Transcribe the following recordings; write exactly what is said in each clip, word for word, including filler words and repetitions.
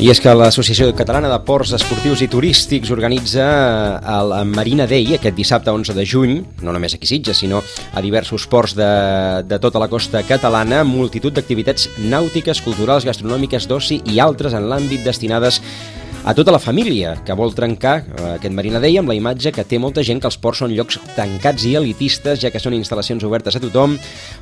I és que l'Associació Catalana de Ports Esportius i Turístics organitza el Marina Day aquest dissabte onze de juny, no només aquí a Sitges, sinó a diversos ports de, de tota la costa catalana, multitud d'activitats nàutiques, culturals, gastronòmiques, d'oci i altres en l'àmbit destinades a tota la família, que vol trencar aquest Marina Day amb la imatge que té molta gent que els ports són llocs tancats i elitistes, ja que són instal·lacions obertes a tothom,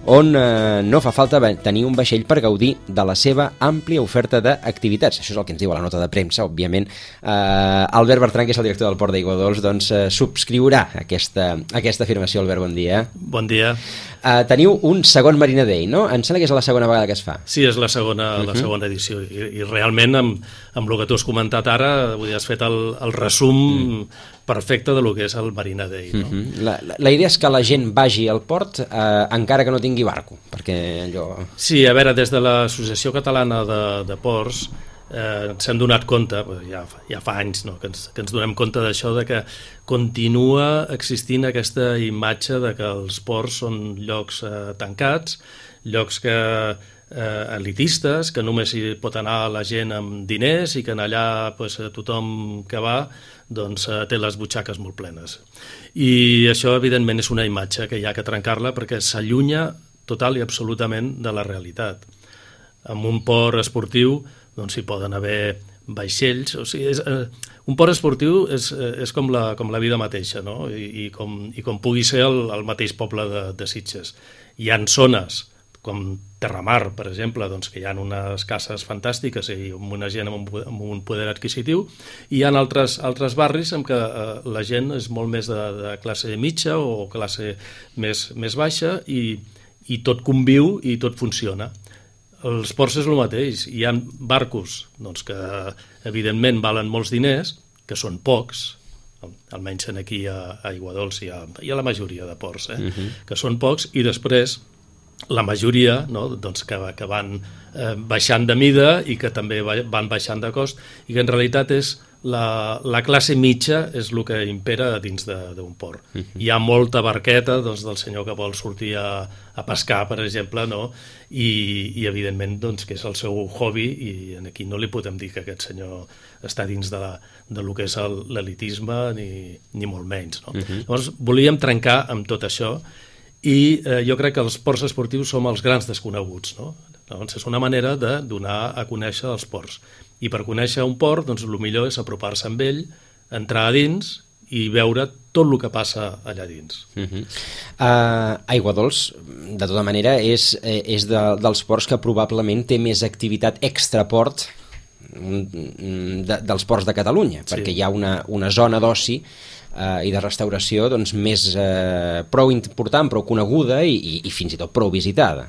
on eh, no fa falta tenir un vaixell per gaudir de la seva àmplia oferta d'activitats. Això és el que ens diu a la nota de premsa, òbviament. Eh, Albert Bertran, que és el director del Port d'Aiguadols, doncs eh, subscriurà aquesta, aquesta afirmació. Albert, bon dia. Bon dia. Uh, teniu un segon Marina Day, no? Em sembla que és la segona vegada que es fa. Sí, és la segona, uh-huh. la segona edició i, i realment amb, amb el que tu has comentat ara, vull dir, has fet el, el resum uh-huh. perfecte de lo que és el Marina Day, no? Uh-huh. la, la, la idea és que la gent vagi al port eh, encara que no tingui barco, perquè allò... Sí, a veure, des de l'Associació Catalana de, de Ports eh, ens hem donat compte, ja, ja fa anys no, que, ens, que ens donem compte d'això, de que continua existint aquesta imatge de que els ports són llocs eh, tancats, llocs que eh, elitistes, que només hi pot anar la gent amb diners i que en allà pues, tothom que va doncs, eh, té les butxaques molt plenes. I això, evidentment, és una imatge que hi ha que trencar-la perquè s'allunya total i absolutament de la realitat. En un port esportiu doncs hi poden haver vaixells, o sigui, és, eh, un port esportiu és, és com, la, com la vida mateixa, no? I, i, com, i com pugui ser el, el mateix poble de, de Sitges. Hi ha zones com Terramar, per exemple, doncs, que hi ha unes cases fantàstiques i amb una gent amb un, amb un poder adquisitiu, i hi ha altres, altres barris en què eh, la gent és molt més de, de classe mitja o classe més, més baixa i, i tot conviu i tot funciona. Els ports és el mateix, hi ha barcos doncs, que evidentment valen molts diners, que són pocs, almenys aquí a Aiguadols i a, i a la majoria de ports, eh? uh-huh. que són pocs, i després la majoria no, doncs que, que van eh, baixant de mida i que també van baixant de cost, i que en realitat és la, la classe mitja és el que impera dins d'un port. Uh-huh. Hi ha molta barqueta doncs, del senyor que vol sortir a, a pescar, per exemple, no? I, i evidentment doncs, que és el seu hobby, i aquí no li podem dir que aquest senyor està dins de, la, de lo que és l'elitisme ni, ni molt menys. No? Uh-huh. Llavors volíem trencar amb tot això i eh, jo crec que els ports esportius som els grans desconeguts, no? Llavors és una manera de donar a conèixer els ports. I per conèixer un port, doncs el millor és apropar-se amb ell, entrar a dins i veure tot el que passa allà dins. Uh-huh. uh, Aiguadols, de tota manera, és, és de, dels ports que probablement té més activitat extraport de, dels ports de Catalunya, sí. perquè hi ha una, una zona d'oci Uh, i de restauració doncs, més uh, prou important, prou coneguda i, i, i fins i tot prou visitada.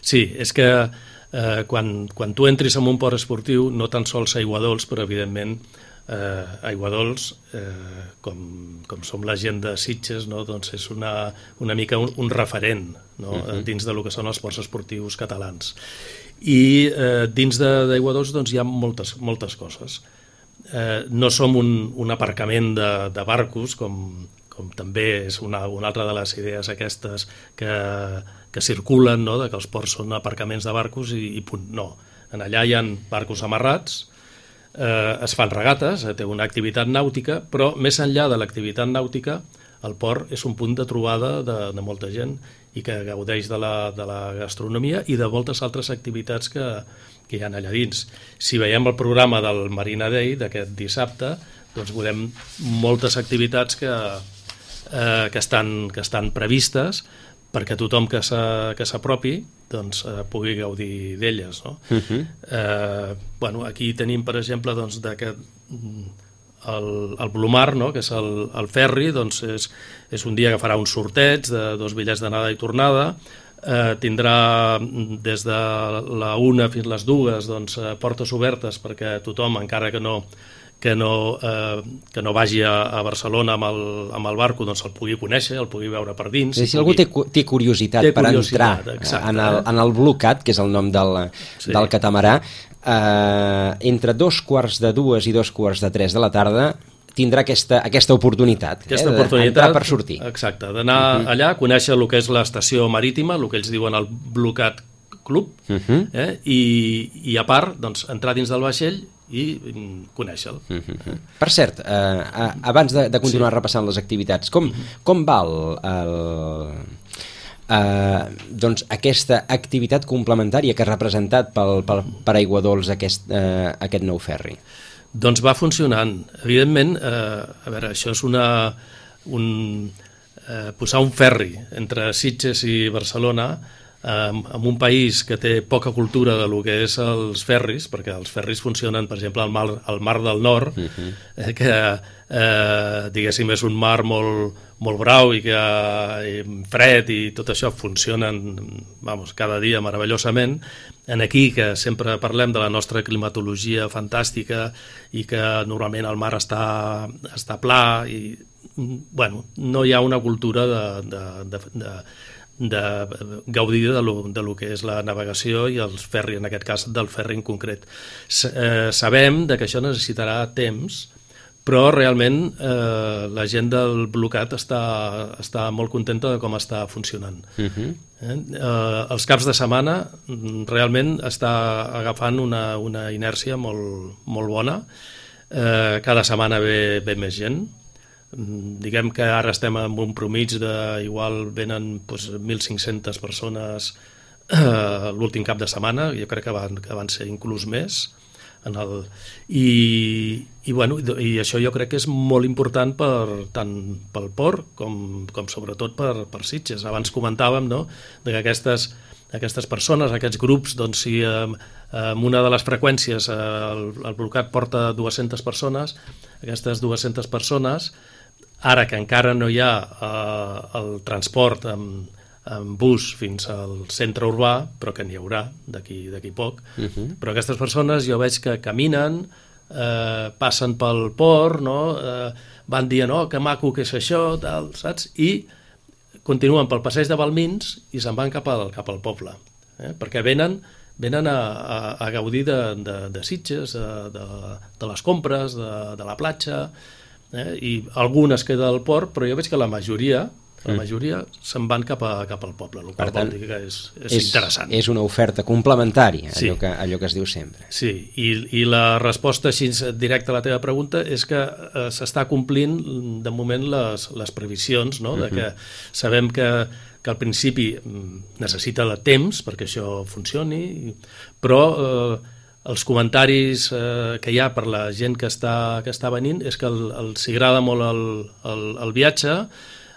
Sí, és que uh, quan, quan tu entris en un port esportiu, no tan sols a Aiguadols, però evidentment uh, Aiguadols, uh, com, com som la gent de Sitges, no? doncs és una, una mica un, un referent no? uh-huh. dins de lo que són els ports esportius catalans. I uh, dins d'Aiguadols doncs, hi ha moltes, moltes coses. Eh, no som un, un aparcament de, de barcos, com, com també és una, una altra de les idees aquestes que, que circulen, no? de que els ports són aparcaments de barcos i, i punt. No, en allà hi ha barcos amarrats, eh, es fan regates, eh, té una activitat nàutica, però més enllà de l'activitat nàutica, el port és un punt de trobada de, de molta gent i que gaudeix de la, de la gastronomia i de moltes altres activitats que, que hi ha allà dins. Si veiem el programa del Marina Day d'aquest dissabte, doncs veurem moltes activitats que, eh, que, estan, que estan previstes perquè tothom que s'apropi doncs, eh, pugui gaudir d'elles. No? Uh-huh. eh, bueno, aquí tenim, per exemple, doncs, que el, el Blumar, no? que és el, el ferri, doncs és, és un dia que farà un sorteig de dos bitllets d'anada i tornada. Eh, tindrà des de la una fins les dues doncs, eh, portes obertes perquè tothom, encara que no, que no, eh, que no vagi a, a Barcelona amb el, amb el barco, doncs el pugui conèixer, el pugui veure per dins. Si, si algú té, té curiositat té per curiositat, entrar exacte, en el, en el Blue Cat, que és el nom del, sí. del catamarà, eh, entre dos quarts de dues i dos quarts de tres de la tarda tindrà aquesta, aquesta oportunitat, aquesta eh, oportunitat d'entrar per sortir. Exacte, d'anar uh-huh. allà, conèixer el que és l'estació marítima, el que ells diuen el Blue Cat Club, uh-huh. eh, i, i a part, doncs, entrar dins del vaixell i conèixer-lo. Uh-huh. Per cert, eh, abans de, de continuar sí. repassant les activitats, com, uh-huh. com va el... el... Uh, doncs aquesta activitat complementària que ha representat pel, pel, per Aiguadols aquest, uh, aquest nou ferri? Doncs va funcionant. Evidentment, uh, a veure, això és una, un, uh, posar un ferri entre Sitges i Barcelona um, en un país que té poca cultura de lo que és els ferris, perquè els ferris funcionen, per exemple, al mar, al mar del Nord, uh-huh. eh, que eh, diguéssim és un mar molt, molt brau i que i fred i tot això funcionen vamos, cada dia meravellosament. En aquí, que sempre parlem de la nostra climatologia fantàstica i que normalment el mar està, està pla i bueno, no hi ha una cultura de, de, de, de de gaudir de lo, de lo que és la navegació i els ferri, en aquest cas del ferri en concret. S eh, sabem de que això necessitarà temps, però realment eh, la gent del Blocat està, està molt contenta de com està funcionant. Uh-huh. eh? Eh, els caps de setmana realment està agafant una, una inèrcia molt, molt bona. Eh, cada setmana ve, ve més gent. Diguem que ara estem en un promig de, igual venen doncs, mil cinc-centes persones eh, l'últim cap de setmana, jo crec que van, que van ser inclús més, en el, i, i, bueno, i això jo crec que és molt important per, tant pel port com, com sobretot per, per Sitges. Abans comentàvem, no?, de que aquestes, aquestes persones, aquests grups, doncs si eh, amb una de les freqüències eh, el, el Blocat porta dues-centes persones, aquestes dues-centes persones, ara que encara no hi ha eh, el transport amb, amb bus fins al centre urbà, però que n'hi haurà d'aquí d'aquí poc, uh-huh. però aquestes persones jo veig que caminen, eh, passen pel port, no? eh, van dient, oh, que maco que és això, tal, saps? I continuen pel passeig de Balmins i se'n van cap al, cap al poble, eh? perquè venen, venen a, a, a gaudir de, de, de Sitges, de, de, de les compres, de, de la platja, Eh? i algunes queda al port, però jo veig que la majoria la majoria se'n van cap, a, cap al poble, el qual vol dir que és, és, és interessant. És una oferta complementària, sí. allò, que, allò que es diu sempre. Sí, i, i la resposta així directa a la teva pregunta és que eh, s'està complint de moment les, les previsions, no? de que sabem que, que al principi necessita de temps perquè això funcioni, però eh, els comentaris eh, que hi ha per la gent que està, que està venint és que el, el, s'hi agrada molt el, el, el viatge.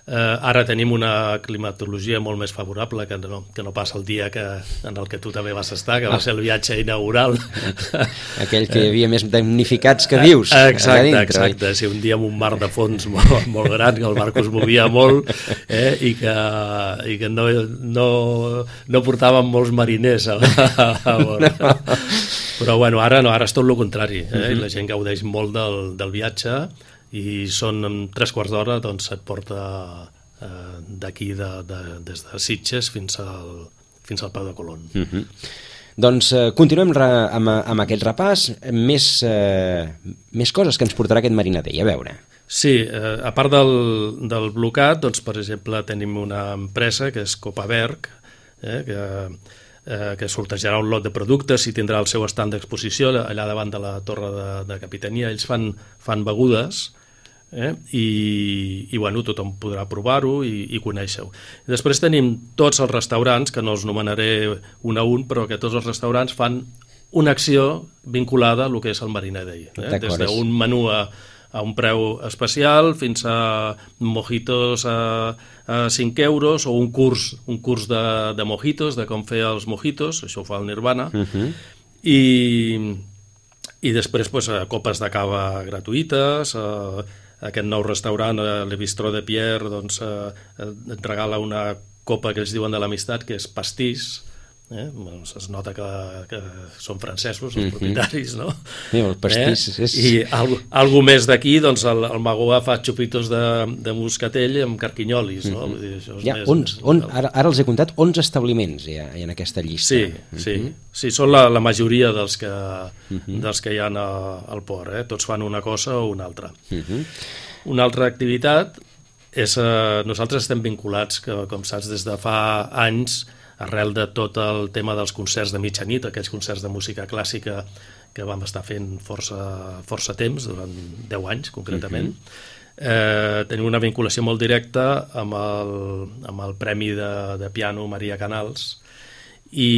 Eh, ara tenim una climatologia molt més favorable que no, que no passa el dia que, en el que tu també vas estar, que va ser el viatge inaugural. Aquell que hi havia més damnificats que vius. Exacte, dintre, exacte. Sí, un dia amb un mar de fons molt, molt gran, que el barco es movia molt eh, i que, i que no, no, no portaven molts mariners a, a, a bord. No. Però bueno, ara no, ara és tot el contrari, eh? Uh-huh. I la gent gaudeix molt del, del viatge i són en tres quarts d'hora, doncs et porta eh, d'aquí, de, de, des de Sitges fins al, fins al Peu de Colón. Uh-huh. Doncs eh, continuem re, amb, amb aquest repàs, més, eh, més coses que ens portarà aquest Marina Day, a veure. Sí, eh, a part del, del Blocat, doncs, per exemple, tenim una empresa que és Copaberg, eh, que... Eh, que sortejarà un lot de productes i tindrà el seu estand d'exposició allà davant de la torre de, de capitania. Ells fan, fan begudes eh, i, i bueno, tothom podrà provar-ho i, i conèixer-ho. Després tenim tots els restaurants, que no els nomenaré un a un, però que tots els restaurants fan una acció vinculada a lo que és el Marina Day. Eh? Des d'un menú a, a un preu especial fins a mojitos a, a cinc euros o un curs, un curs de, de mojitos, de com fer els mojitos, això ho fa el Nirvana, uh-huh. i, i després pues, copes de cava gratuïtes, eh, aquest nou restaurant, eh, Le Bistrot de Pierre, doncs, eh, et regala una copa que ells diuen de l'amistat, que és pastís. Eh? Bueno, es nota que, que són francesos els propietaris, no? Sí, el pastís eh? és... I algo, algo més d'aquí, doncs el, el Magoà fa xupitos de, de moscatell amb carquinyolis, no? Vull dir, això és ja, més, onze, on, ara, ara els he comptat onze establiments hi ha, hi ha en aquesta llista. Sí, uh-huh. sí, sí, són la, la majoria dels que, uh-huh. dels que hi ha a, al port, eh? Tots fan una cosa o una altra. Uh-huh. Una altra activitat és, eh, nosaltres estem vinculats, que, com saps, des de fa anys arrel de tot el tema dels concerts de mitjanit, aquells concerts de música clàssica que vam estar fent força, força temps, durant deu anys concretament, uh-huh. eh, tenim una vinculació molt directa amb el, amb el Premi de, de Piano Maria Canals, i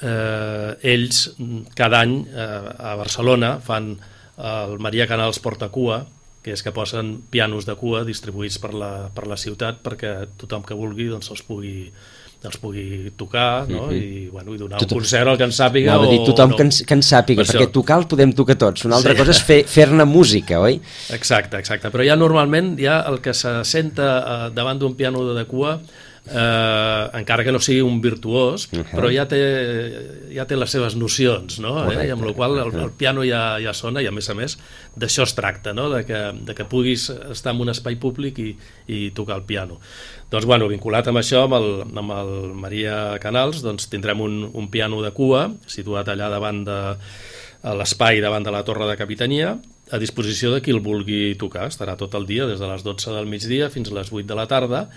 eh, ells cada any eh, a Barcelona fan el Maria Canals Portacua, que és que posen pianos de cua distribuïts per la, per la ciutat perquè tothom que vulgui doncs, els pugui els pugui tocar, no? Uh-huh. I, bueno, i donar tothom, un concert al que en sàpiga. No, o, dir, tothom no. que, ens, que en sàpiga, per perquè això. Tocar el podem tocar tots. Una altra sí. cosa és fer, fer-ne música, oi? Exacte, exacte. Però ja normalment ja el que se senta eh, davant d'un piano de cua, eh, encara que no sigui un virtuós, uh-huh. però ja té, ja té les seves nocions, no? Eh? I amb la qual el, el piano ja, ja sona, i a més a més d'això es tracta, no? de, que, de que puguis estar en un espai públic i, i tocar el piano. Doncs, bueno, vinculat amb això, amb el, amb el Maria Canals, doncs tindrem un, un piano de cua situat allà davant de a l'espai davant de la Torre de Capitania, a disposició de qui el vulgui tocar. Estarà tot el dia, des de les dotze del migdia fins a les vuit de la tarda,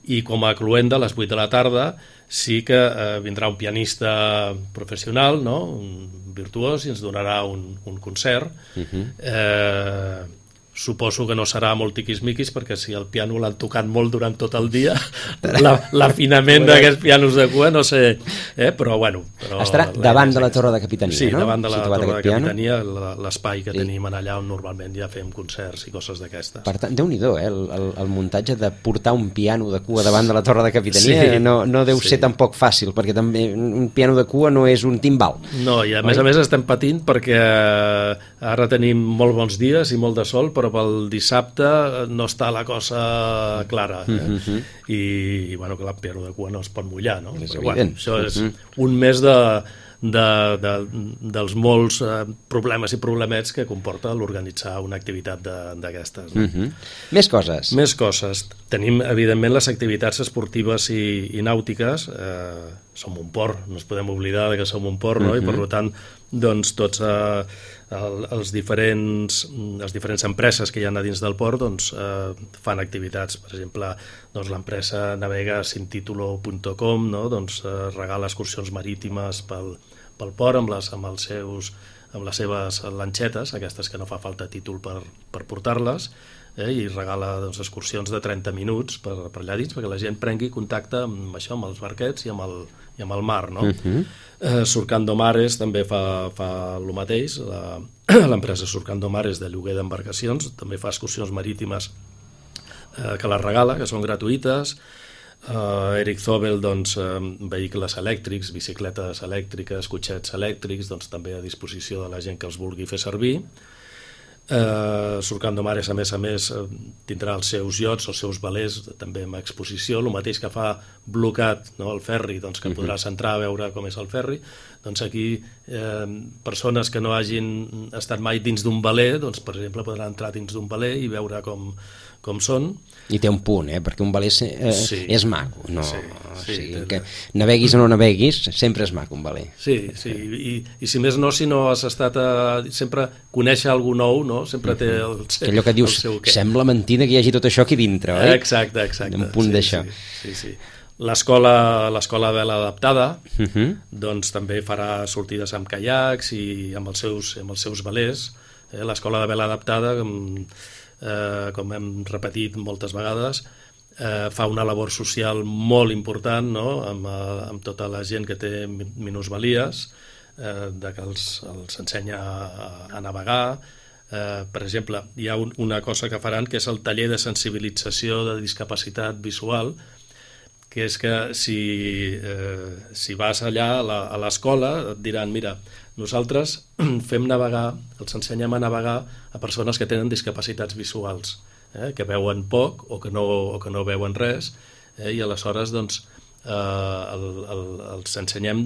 i com a cluenda a les vuit de la tarda sí que eh, vindrà un pianista professional, no? Un virtuós, i ens donarà un, un concert. Uh-huh. eh, suposo que no serà molt tiquismiquis, perquè si el piano l'han tocat molt durant tot el dia, l'afinament d'aquests pianos de cua no sé, eh? però bueno però estarà davant de la Torre de Capitania, sí, no? davant de la Situat Torre de piano. Capitania, l'espai que sí. tenim allà on normalment ja fem concerts i coses d'aquestes. Per tant, Déu-n'hi-do, eh? el, el, el muntatge de portar un piano de cua davant de la Torre de Capitania sí. no, no deu sí. ser tampoc fàcil, perquè també un piano de cua no és un timbal. No, i a més Oi? a més estem patint perquè ara tenim molt bons dies i molt de sol, però pel dissabte no està la cosa clara, eh? uh-huh. I, i bueno, que el piano de cua no es pot mullar, no? És però, bueno, això és uh-huh. un mes de, de, de, dels molts eh, problemes i problemets que comporta l'organitzar una activitat d'aquestes. No? Uh-huh. Més coses. Més coses. Tenim, evidentment, les activitats esportives i, i nàutiques. Eh, som un port, no ens podem oblidar de que som un port, no? Uh-huh. I per tant, doncs, tots eh, el, els diferents, les diferents empreses que hi ha a dins del port doncs, eh, fan activitats. Per exemple, doncs, l'empresa navega sin titulo punt com, no? doncs, eh, regala excursions marítimes pel, pel port amb les, amb, els seus, amb les seves lanxetes, aquestes que no fa falta títol per, per portar-les, eh, i regala doncs, excursions de trenta minuts per, per allà dins perquè la gent prengui contacte amb això, amb els barquets i amb el, i amb el mar, no? Uh-huh. eh, Surcando Mares també fa, fa el mateix. L'empresa Surcando Mares de lloguer d'embarcacions també fa excursions marítimes eh, que les regala, que són gratuïtes. eh, Eric Zobel, doncs, eh, vehicles elèctrics, bicicletes elèctriques, cotxets elèctrics, doncs també a disposició de la gent que els vulgui fer servir. Uh, Surcando Mares, a més a més, uh, tindrà els seus iots, els seus velers també amb exposició, el mateix que fa Blocat, no, el ferri, doncs, que uh-huh. podràs entrar a veure com és el ferri. Doncs aquí eh, persones que no hagin estat mai dins d'un veler, doncs, per exemple, podran entrar dins d'un veler i veure com, com són. I té un punt, eh? perquè un veler eh, sí. és maco, no? Sí, o sí, sigui, que naveguis o no naveguis, sempre és maco un veler. Sí, sí, i, i si més no, si no has estat a... sempre conèixer algú nou, no? Sempre té el, que allò que dius, sembla mentida que hi hagi tot això aquí dintre, oi? Exacte, exacte. Un punt sí, d'això. Sí, sí, sí. L'escola l'escola vela adaptada uh-huh. doncs també farà sortides amb caiacs i amb els seus, amb els seus velers. Eh? L'escola de vela adaptada, com, eh, com hem repetit moltes vegades, eh, fa una labor social molt important, no? amb, amb tota la gent que té minusvalies, eh, de que els, els ensenya a, a navegar. Eh, per exemple, hi ha un, una cosa que faran que és el taller de sensibilització de discapacitat visual, que és que si, eh, si vas allà a l'escola et diran, mira, nosaltres fem navegar, els ensenyem a navegar a persones que tenen discapacitats visuals, eh, que veuen poc o que no, o que no veuen res, eh, i aleshores doncs, eh, el, el, els ensenyem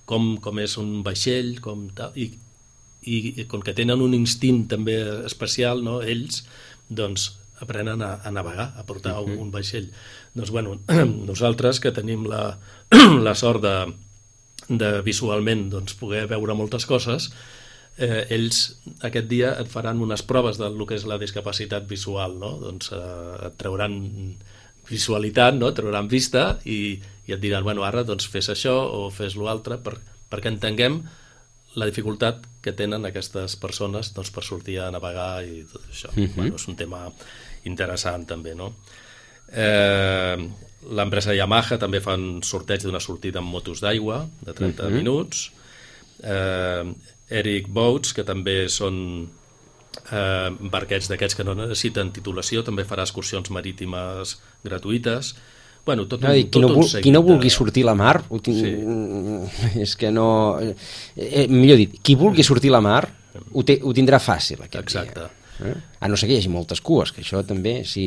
com, com és un vaixell, com tal, i, i com que tenen un instint també especial, no, ells, doncs, aprenen a, a navegar, a portar uh-huh. un, un vaixell. Doncs, bueno, nosaltres que tenim la, la sort de, de visualment doncs, poder veure moltes coses, eh, ells aquest dia et faran unes proves del que és la discapacitat visual, no? Doncs eh, et trauran visualitat, no? Et trauran vista i, i et diran, bueno, ara doncs fes això o fes l'altre, per, perquè entenguem la dificultat que tenen aquestes persones doncs, per sortir a navegar i tot això. Uh-huh. Bueno, és un tema interessant també, no? Eh, l'empresa Yamaha també fa un sorteig d'una sortida amb motos d'aigua de trenta uh-huh. minuts. Eh, Eric Boats, que també són eh, barquets d'aquests que no necessiten titulació, també farà excursions marítimes gratuïtes. Bueno, tot un, no, qui, no tot vul, un seguit qui no vulgui de... sortir a la mar, sí. és que no... Eh, millor dit, qui vulgui sortir a la mar ho, té, ho tindrà fàcil aquest Exacte. dia. Eh? A no ser que hi hagi moltes cues, que això també, si...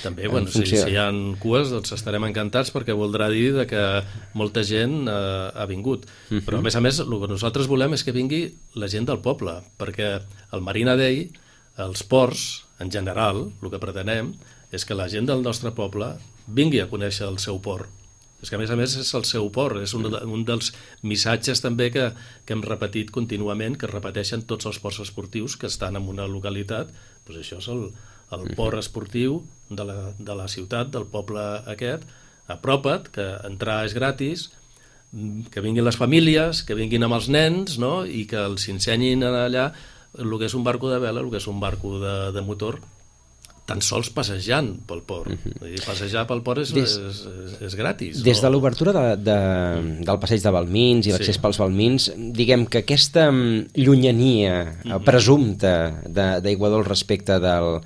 També, bueno, si, si hi ha cues, doncs estarem encantats perquè voldrà dir de que molta gent eh, ha vingut. Uh-huh. Però, a més a més, el que nosaltres volem és que vingui la gent del poble, perquè el Marina Day, els ports, en general, el que pretenem és que la gent del nostre poble vingui a conèixer el seu port. És que, a més a més, és el seu port. És un, un dels missatges també que, que hem repetit contínuament, que repeteixen tots els ports esportius que estan en una localitat. Doncs això és el, el port esportiu de la, de la ciutat, del poble aquest. Apropa't, que entrar és gratis, que vinguin les famílies, que vinguin amb els nens, no? I que els ensenyin allà el que és un barco de vela, el que és un barco de, de motor, tan sols passejant pel port. Uh-huh. I passejar pel port és, des, és, és, és gratis. Des no? de l'obertura de, de, del passeig de Balmins i l'accés sí. pels Balmins, diguem que aquesta llunyania uh-huh. presumpta d'Aiguadols respecte del,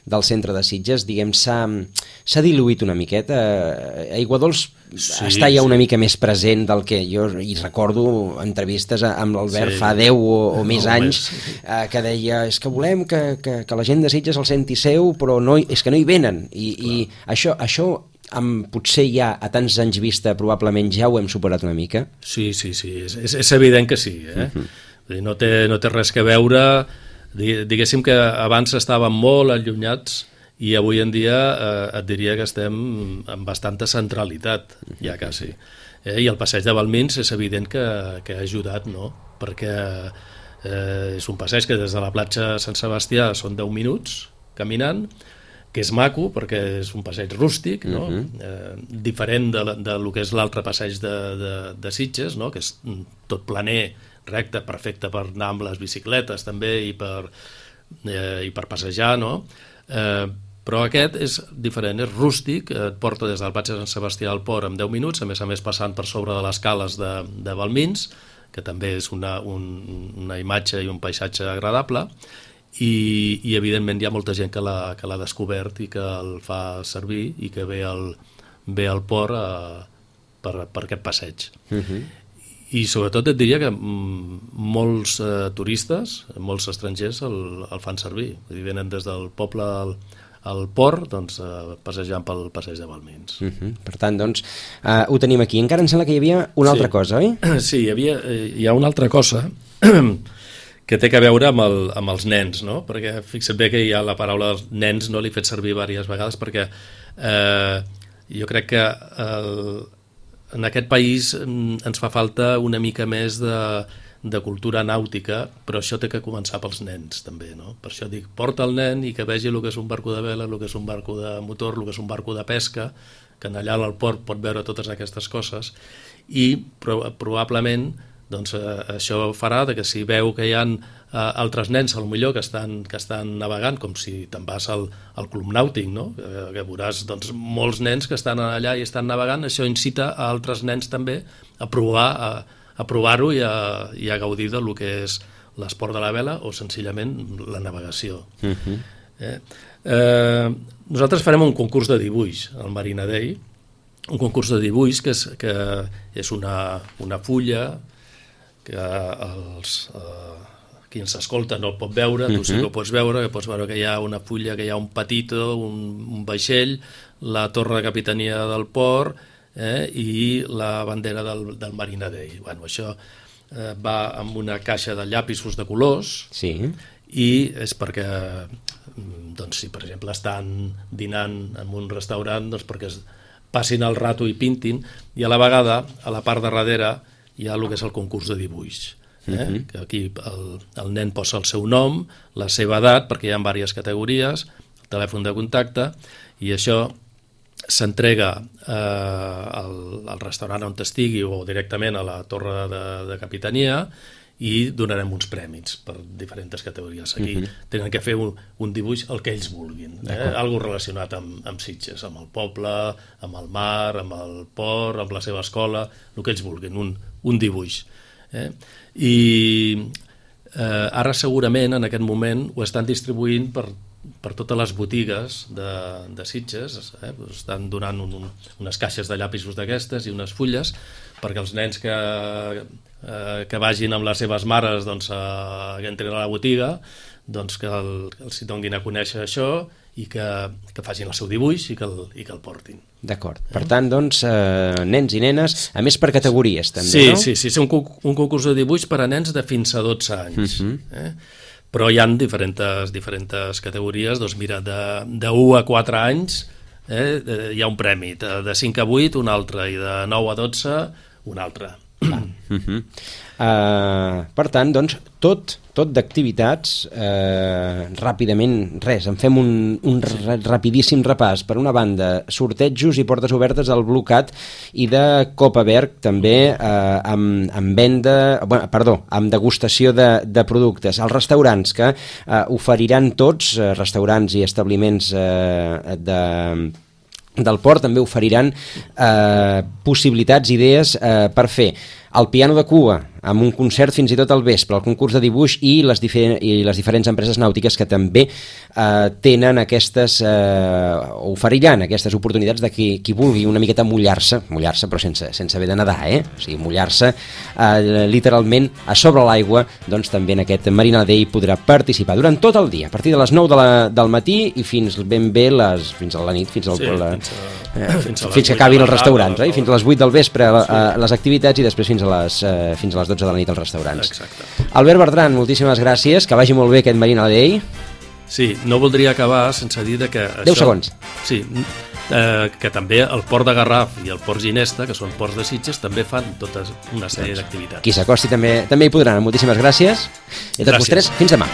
del centre de Sitges, diguem, s'ha diluït una miqueta. Aiguadols sí, està ja sí. una mica més present del que jo hi recordo entrevistes amb l'Albert sí. fa deu o, o no, més anys més. Eh, que deia, és que volem que, que, que la gent de Sitges el senti seu, però no, és que no hi venen. I, i això, això amb, potser ja a tants anys vista probablement ja ho hem superat una mica. Sí, sí, sí, és, és, és evident que sí. Eh? Uh-huh. No, té, no té res que veure, diguéssim que abans estàvem molt allunyats i avui en dia eh, et diria que estem amb bastanta centralitat, ja quasi. Eh, I el passeig de Balmins és evident que, que ha ajudat, no? Perquè eh, és un passeig que des de la platja Sant Sebastià són deu minuts caminant, que és maco perquè és un passeig rústic, no? Uh-huh. eh, diferent de, de lo que és l'altre passeig de, de, de Sitges, no? Que és tot planer, recte, perfecte per anar amb les bicicletes també i per, eh, i per passejar, no? Eh, però aquest és diferent, és rústic, et porta des del platja de Sant Sebastià al port en deu minuts, a més a més passant per sobre de les cales de, de Balmins, que també és una, un, una imatge i un paisatge agradable, i, i evidentment hi ha molta gent que l'ha que l'ha descobert i que el fa servir i que ve al, ve al port a, per, per aquest passeig. Uh-huh. I sobretot et diria que molts eh, turistes, molts estrangers el, el fan servir. Vull dir, venen des del poble al, al port, doncs, eh, passejant pel passeig de Balmins. Uh-huh. Per tant, doncs, eh, ho tenim aquí. Encara em sembla que hi havia una sí. altra cosa, oi? Sí, hi, havia, hi ha una altra cosa que té que veure amb, el, amb els nens, no? Perquè fixa't bé que hi ha la paraula dels nens, no l'he fet servir diverses vegades, perquè eh, jo crec que el, en aquest país ens fa falta una mica més de, de cultura nàutica, però això té que començar pels nens també, no? Per això dic, porta el nen i que vegi el que és un barco de vela, el que és un barco de motor, el que és un barco de pesca, que allà al port pot veure totes aquestes coses, i pro, probablement doncs, eh, això farà de que si veu que hi ha eh, altres nens potser que estan, que estan navegant, com si te'n vas al, al club nàutic, no? eh, que veuràs doncs, molts nens que estan allà i estan navegant, això incita a altres nens també a provar a, a provar-ho i, a, i a gaudir del que és l'esport de la vela o senzillament la navegació. Uh-huh. eh? Eh, nosaltres farem un concurs de dibuix al Marina Day, un concurs de dibuix que és, que és una, una fulla que els, eh, qui ens escolta no el pot veure, tu sí que ho pots veure, que pots veure que hi ha una fulla, que hi ha un patito, un, un vaixell, la torre de capitania del port eh, i la bandera del, del Marina Day. Bueno, això eh, va amb una caixa de llapisos de colors sí. i és perquè, doncs, si per exemple estan dinant en un restaurant, doncs perquè es passin el rato i pintin, i a la vegada, a la part de darrere, hi ha el que és el concurs de dibuix. Eh? Uh-huh. Que aquí el, el nen posa el seu nom, la seva edat, perquè hi ha diverses categories, el telèfon de contacte, i això s'entrega eh, al, al restaurant on estigui o directament a la torre de, de capitania i donarem uns prèmits per diferents categories. Aquí uh-huh. tenen que fer un, un dibuix el que ells vulguin, eh? Algo relacionat amb, amb Sitges, amb el poble, amb el mar, amb el port, amb la seva escola, el que ells vulguin, un, un dibuix. Eh? I eh, ara segurament en aquest moment ho estan distribuint per, per totes les botigues de, de Sitges, eh? Estan donant un, un, unes caixes de llapisos d'aquestes i unes fulles perquè els nens que, eh, que vagin amb les seves mares doncs, eh, que entrin a la botiga doncs que el, els donguin a conèixer això i que, que facin el seu dibuix i que el, i que el portin. D'acord. Per tant, doncs, eh, nens i nenes, a més per categories, també, sí, no? Sí, sí, és un, un concurs de dibuix per a nens de fins a dotze anys. Uh-huh. eh? Però hi ha diferents, diferents categories, doncs mira, de, de u a quatre anys eh, hi ha un premi, de, de cinc a vuit un altre i de nou a dotze un altre. Uh-huh. Uh, per tant, doncs, tot, tot d'activitats, uh, ràpidament, res, en fem un, un rapidíssim repàs. Per una banda, sortejos i portes obertes al Blue Cat i de Copaberg, també uh, amb, amb venda, bueno, perdó, amb degustació de, de productes. Els restaurants que uh, oferiran tots, uh, restaurants i establiments uh, de... del port també oferiran eh, possibilitats, idees eh, per fer el piano de Cua amb un concert fins i tot al vespre, el concurs de dibuix i les, difer i les diferents empreses nàutiques que també eh, tenen aquestes, eh, oferiran aquestes oportunitats de qui, qui vulgui una miqueta mullar-se, mullar-se però sense, sense haver de nedar, eh? O sigui, mullar-se eh, literalment a sobre l'aigua, doncs també en aquest Marina Day podrà participar durant tot el dia, a partir de les nou de la, del matí i fins ben bé les, fins a la nit, fins, al, sí, la, fins, a, eh, fins, fins que acabin els restaurants, eh? Fins a les vuit del vespre a, sí. a les activitats i després fins a les, eh, fins a les dotze de la nit als restaurants. Exacte. Albert Bertran, moltíssimes gràcies, que vagi molt bé aquest Marina Day. Sí, no voldria acabar sense dir que això... deu segons. Sí, eh, que també el port de Garraf i el port Ginesta, que són ports de Sitges, també fan tota una sèrie d'activitats. Qui s'acosti també, també hi podran. Moltíssimes gràcies. I a tots vosaltres, fins demà.